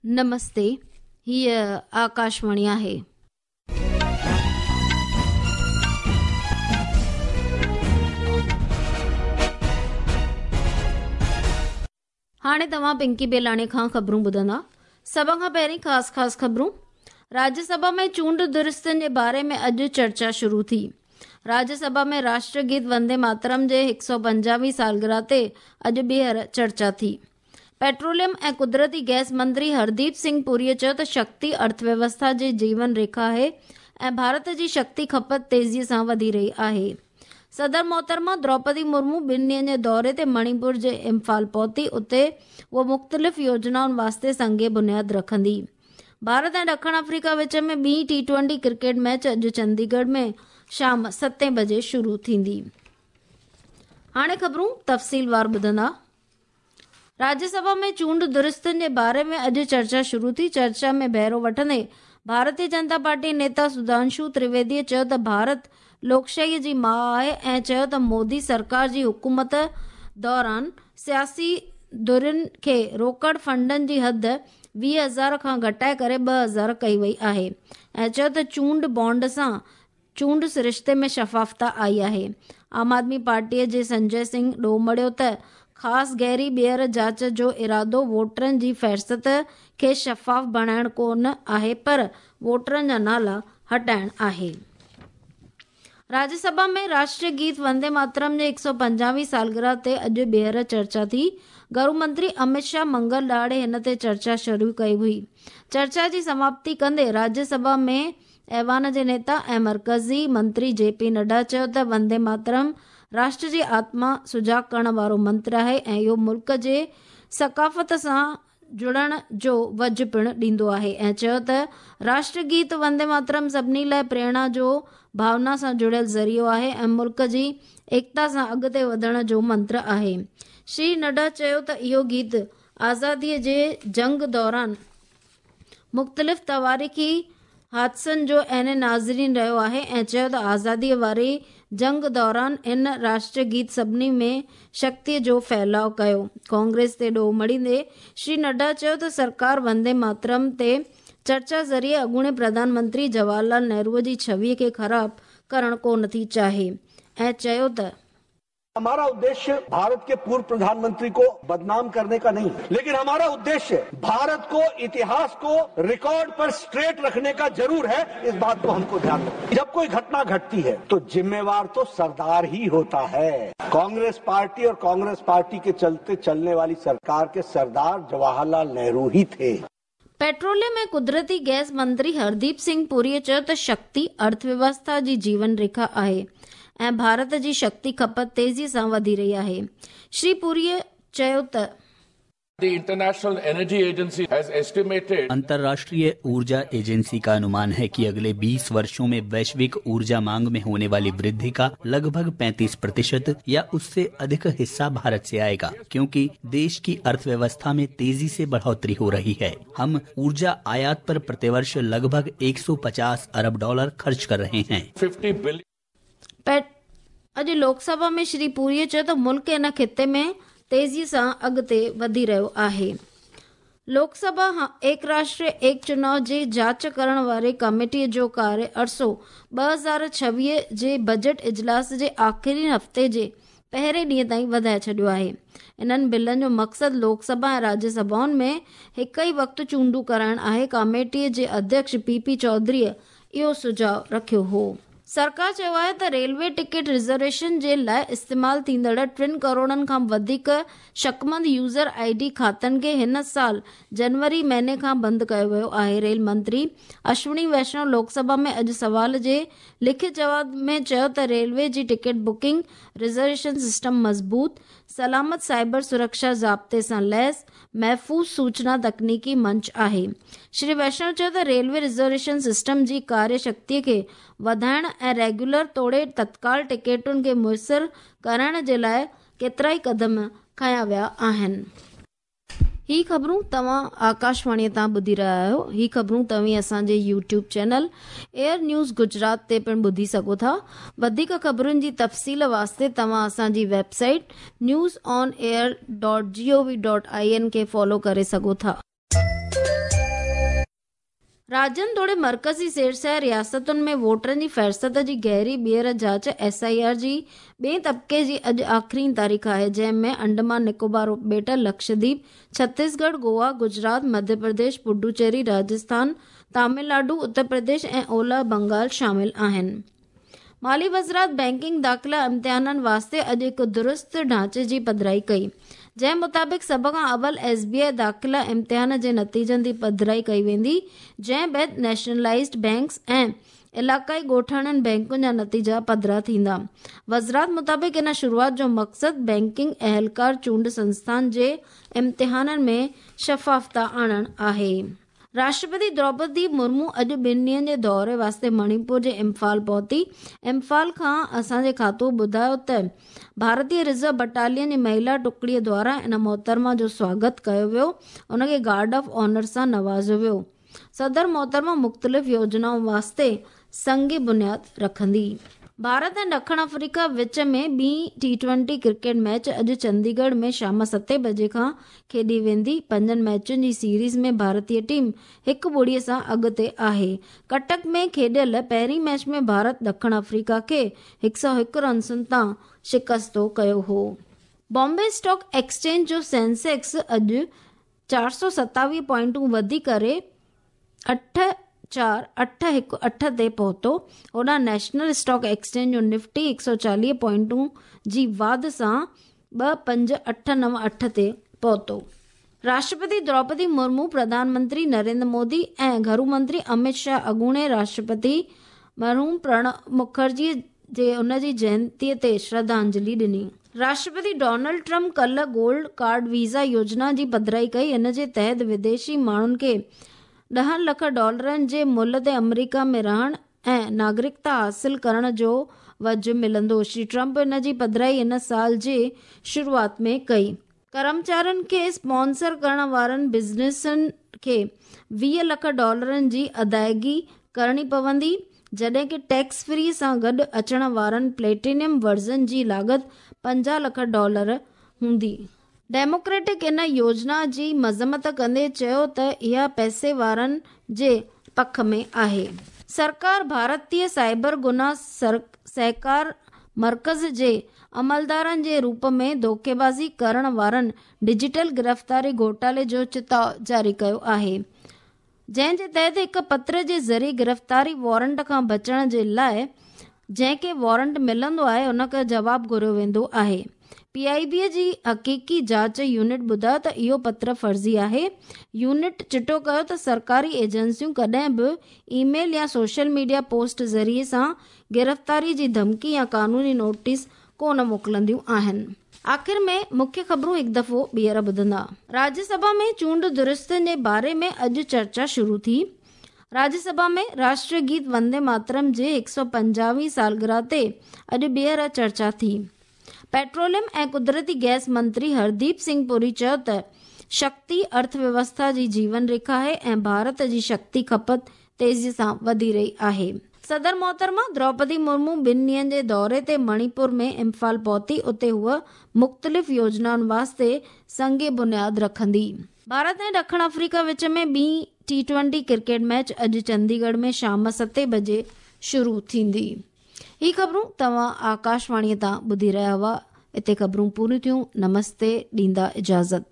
نمستي، هيء آڪاشواڻي آهي. هاڻي توهان پنڪي بيلاڻي کان خبرون ٻڌندا. سڀ کان پهرين خاص خاص خبرون. راجيه سڀا ۾ چونڊ درستين جي باري ۾ اڄ چرچا شروع ٿي. راجيه سڀا ۾ راشٽر گيت وندي ماترم جي 150 هين سالگرهه تي اڄ ٻيهر چرچا ٿي. پيٽروليم ۽ قدرتي گئس منتري هرديپ سنگهه پوريء چيو ته شڪتي ارٿويوسٿا جي جيون ريکا آهي ۽ ڀارت جي شڪتي کپت تيزيء سان وڌي رهي آهي. صدر محترمه دروپدي مرمو ٻن ڏينهن جي دوري تي مڻيپور جي امفال پهتي، اتي هوء مختلف يوجنائن واسطي سنگ بنياد رکندي. ڀارت ۽ ڏکڻ آفريڪا وچ ۾ ٻي ٽي ٽوئنٽي ڪرڪيٽ ميچ اڄ چنديڳڙهه ۾ شام ستين بجي شروع ٿيندي. هاڻي خبرون تفصيلوار ٻڌندا. راجيه سڀا ۾ چونڊ درستين جي باري ۾ اڄ چرچا شروع ٿي. چرچا ۾ بهرو وٺندي ڀارتي جنتا پارٽي نيتا سڌانشو ترويديء چيو ته ڀارت لوڪشاهيء جي ماء آهي ۽ چيو ته مودي سرڪار جي حڪومت دوران سياسي ڌرين کي روڪڙ فنڊن جي حد 20 هزار کان گهٽائي ڪري 2000 ڪئي وئي آهي ۽ چيو ته چونڊ بانڊ سان چونڊ سرشتي ۾ شفافتا آئي آهي. عام آدمي پارٽيء جي سنجي سنگهه ڏوهه مڙهيو ته خاص گهري ٻيهر جاچ جو ارادو ووٽرن جي فهرست کي شفاف بڻائڻ ڪو نه آهي پر ووٽرن جا نالا هٽائڻ آهي. راجيه سڀا ۾ راشٽري گيت وندي ماترم جي 150 هين سالگرهه تي اڄ ٻيهر چرچا ٿي. گهرو منتري امت شاهه منگل ڏهاڙي هن تي چرچا شروع ڪئي هئي. چرچا جي سماپتي ڪندي راجيه سڀا ۾ ايوان جي نيتا ۽ مرڪزي منتري جي پي نڊا چيو ته وندي ماترم راشٽر جي آتما سجاڳ ڪرڻ وارو منتر آهي ۽ اهو ملڪ جي ثقافت سان جڙڻ جو وجهه پڻ ڏيندو آهي ۽ چيو ته راشٽر گيت وندي ماترم سڀني لاء پريرڻا جو ڀاونا سان جڙيل ذريعو آهي ۽ ملڪ جي ايڪتا سان اڳتي وڌڻ جو منتر آهي. شري نڊا چيو ته اهو گيت آزادي جي جنگ دوران مختلف تواريخي حادثن جو عين ناظرين رهيو آهي ۽ چيو ته آزاديء واري جنگ دوران ان راشٽر گيت سڀني ۾ شڪتيء جو ڦهلاء ڪيو. ڪانگريس تي ڏوهه مڙهيندي شري نڊا چيو ته سرڪار وندي ماترم تي چرچا ذريعي اڳوڻي پرڌان منتري جواهر لال نهروء جي ڇويء کي خراب ڪرڻ ڪونه ٿي چاهي ۽ چيو ته हमारा उद्देश्य भारत के पूर्व प्रधानमंत्री को बदनाम करने का नहीं, लेकिन हमारा उद्देश्य भारत को, इतिहास को रिकॉर्ड पर स्ट्रेट रखने का जरूर है। इस बात को हमको ध्यान रखना। जब कोई घटना घटती है तो जिम्मेवार तो सरदार ही होता है। कांग्रेस पार्टी और कांग्रेस पार्टी के चलते चलने वाली सरकार के सरदार जवाहरलाल नेहरू ही थे। پيٽروليم ۽ قدرتي گئس منتري هرديپ سنگهه پوريء چيو ته شڪتي ارٿويوسٿا جي جيون ريکا آهي ۽ ڀارت جي شڪتي کپت تيزيء سان وڌي رهي آهي. شري پوريء چيو ته The International Energy Agency has estimated अंतर्राष्ट्रीय ऊर्जा एजेंसी का अनुमान है कि अगले 20 वर्षों में वैश्विक ऊर्जा मांग में होने वाली वृद्धि का लगभग 35% या उससे अधिक हिस्सा भारत से आएगा, क्योंकि देश की अर्थव्यवस्था में तेजी से बढ़ोतरी हो रही है। हम ऊर्जा आयात पर प्रतिवर्ष लगभग 150 अरब डॉलर खर्च कर रहे हैं। 50 billion اڄ لوڪ سڀا ۾ شري پوريء چيو ته ملڪ ان خطي ۾ تيزيء سان اڳتي وڌي رهيو آهي. لوڪ سڀا ايڪ راشٽر ايڪ چناء جي جاچ ڪرڻ واري ڪميٽيء جو ڪاريه عرصو 2026 جي بجيٽ اجلاس جي آخري هفتي جي پهرين ڏينهن تائين وڌائي ڇڏيو آهي. انهن بلن جو مقصد لوڪ سڀا ۽ راجيه سڀائن ۾ هڪ ئي وقت چونڊون ڪرائڻ آهي. ڪميٽيء جي اڌيڪش پي پي چوڌريء اهو سجهاء رکيو هو. سرڪار چيو آهي ته ريلوي ٽڪيٽ رزرويشن جي لاء استعمال ٿيندڙ 3 ڪروڙن کان وڌيڪ شڪمند يوزر I D کاتن کي هن سال جنوري مهيني کان بند ڪيو ويو آهي. ريل منتري اشوني ويشنو لوڪ سڀا ۾ اڄ سوال جي لکت جواب ۾ چيو ته ريلوي جي ٽڪيٽ بڪنگ رزرويشن سسٽم مضبوط، سلامت، سائبر سرڪشا ضابطي سان ليس محفوظ سوچنا تڪنيڪي منچ آهي. شري ويشنو چيو ته ريلوي رزرويشن سسٽم جي ڪاريه شڪتيء کي وڌائڻ ۽ ريگيولر توڙي تتڪال ٽڪيٽن کي ميسر ڪرائڻ جي لاء ڪيترائي قدم کنيا ويا آهن. هي خبرون توهان آڪاشواڻيء تان ٻڌي رهيا آهيو. هي خبرون توهين اسان جي YouTube channel air news Gujarat تي پڻ ٻڌي سگهو ٿا. وڌيڪ خبرن جي تفصيل واسطي توهان اسان جي website news on air dot G O V dot I N کي فالو ڪري سگهو ٿا. راڄين توڙي مرڪزي زيرسير رياستن ۾ ووٽرن جي فهرست جي گهري ٻيهر جاچ ايس I R جي ٻئين طبقي جي اڄ آخرين تاريخ آهي، جنهن ۾ انڊمان نڪوبار اپٻيٽ، لڪشديپ، ڇتيسڳڙهه، گوا، گجرات، مڌيه پرديش، پڊوچيري، راجسٿان، تامل ناڊو، اتر پرديش ۽ اولهه بنگال شامل آهن. مالي وزارت بئنڪنگ داخلا امتحانن واسطي اڄ هڪ درست ڍانچي جي پڌرائي ڪئي، جنهن مطابق سڀ کان اول ايس بي آء داخلا امتحان جي نتيجن جي پڌرائي ڪئي ويندي، جنهن بعد نيشنلائيزڊ بئنڪس ۽ علائقائي ڳوٺاڻن بئنڪن جا نتيجا پڌرا ٿيندا. وزارت مطابق ان شروعات جو مقصد بئنڪنگ اهلڪار چونڊ سنسٿان جي امتحانن ۾ شفافتا آڻڻ آهي. راشٽرپتي دروپدي مرمو اڄ ٻن ڏينهن جي دوري واسطي مڻيپور جي امفال پهتي. امفال کان اسان جي کاتو ٻڌايو ته ڀارتي رزرو بٽالين جي مهيلا ٽڪڙي دواران ان محترمه جو سواگت ڪيو ويو، ان کي گارڊ آف آنر سان نوازيو ويو. صدر محترمه مختلف يوجنائن واسطي سنگ بنياد رکندي. ڀارت ۽ ڏکڻ آفريڪا وچ ۾ ٻي ٽي ٽوئنٽي ڪرڪيٽ ميچ اڄ چنديڳڙهه ۾ شام ستين بجي کان کيڏي ويندي. پنجن ميچن جي سيريز ۾ ڀارتي ٽيم هڪ ٻڙي سان اڳتي آهي. ڪٽڪ ۾ کيڏيل پهرين ميچ ۾ ڀارت ڏکڻ آفريڪا کي 101 رنسن تان شڪستو ڪيو هو. بامبي اسٽاڪ ايڪسچينج جو سينسيڪس اڄ 427 پوائنٽون وڌي ڪري 8 4 8 1 8 تي پهتو. هوڏانهن نيشنل اسٽاڪ ايڪسچينج جو نفٽي 140 پوائنٽون جي واڌ سان 2 5 8 9 8 تي پهتو. راشٽرپتي دروپدي مرمو، پرڌان منتري نريندر مودي ۽ گهرو منتري امت شاهه اڳوڻي راشٽرپتي مرحوم پرڻب مکرجي جي ان جي جينتي تي شرڌانجلي ڏني. راشٽرپتي ڊونلڊ ٽرمپ ڪلهه گولڊ ڪارڊ ويزا يوجنا جي پڌرائي ڪئي، ان جي تحت وديشي ماڻهن کي ڏهن لک ڊالرن جي ملهه تي آمريڪا ۾ رهڻ ۽ ناگرڪتا حاصل ڪرڻ جو وجهه ملندو. شري ٽرمپ ان جي پڌرائي هن سال جي شروعات ۾ ڪئي. ڪرمچارين کي اسپانسر ڪرڻ وارن بزنسن کي 20 لک ڊالرن جي ادائيگي ڪرڻي پوندي، جڏهن ڪه ٽيڪس فري سان گڏ اچڻ وارن پليٽينيم ورزن جي لاڳت 50 لک ڊالر هوندي. ڊيموڪريٽڪ ان يوجنا جي مذمت ڪندي چيو ته اها پئسي وارن جي پک ۾ آهي. سرڪار ڀارتي سائبر گناهه سهڪار مرڪز جي عملدارن جي روپ ۾ ڌوڪيبازي ڪرڻ وارن ڊجيٽل گرفتاري گهوٽالي جو چتاء جاري ڪيو آهي، جنهن جي تحت هڪ پتر جي ذريعي گرفتاري وارنٽ کان بچڻ جي لاء جنهن کي وارنٽ ملندو آهي ان کان جواب گهريو ويندو آهي. پي آء بي جي حقيقي جاچ يونٽ ٻڌايو ته اهو پتر فرضي آهي. يونٽ چٽو ڪيو ته سرڪاري ايجنسيون ڪڏهن به اي ميل يا سوشل ميڊيا پوسٽ ذريعي سان گرفتاري جي ڌمڪي يا قانوني نوٽيس ڪونه موڪلنديون آهن. آخر ۾ مکيه خبرون هڪ دفعو ٻيهر ٻڌندا. راجيه سڀا ۾ چونڊ درستين جي باري ۾ اڄ چرچا شروع ٿي. راجيه سڀا ۾ راشٽريه گيت وندي ماترم جي 150 هين سالگرهه تي اڄ ٻيهر چرچا ٿي. پيٽروليم ۽ قدرتي گئس منتري هرديپ سنگهه پوري چيو ته شڪتي ارٿويوسٿا جي جيون ريکا آهي ۽ ڀارت جي شڪتي کپت تيزي سان وڌي رهي آهي. صدر محترمه دروپدي مرمو ٻن ڏينهن جي دوري تي مڻيپور ۾ امفال پهتي، اتي هوء مختلف يوجنائن واسطي سنگ بنياد رکندي. ڀارت ۽ ڏکڻ آفريڪا وچ ۾ ٻي ٽي ٽوئنٽي ڪرڪيٽ ميچ اڄ چنديڳڙهه ۾ شام ستين بجي شروع ٿيندي. هي خبرون توهان آڪاشواڻي تان ٻڌي رهيا هئا. اتي خبرون پوريون ٿيون. نمستي، ڏيندا اجازت.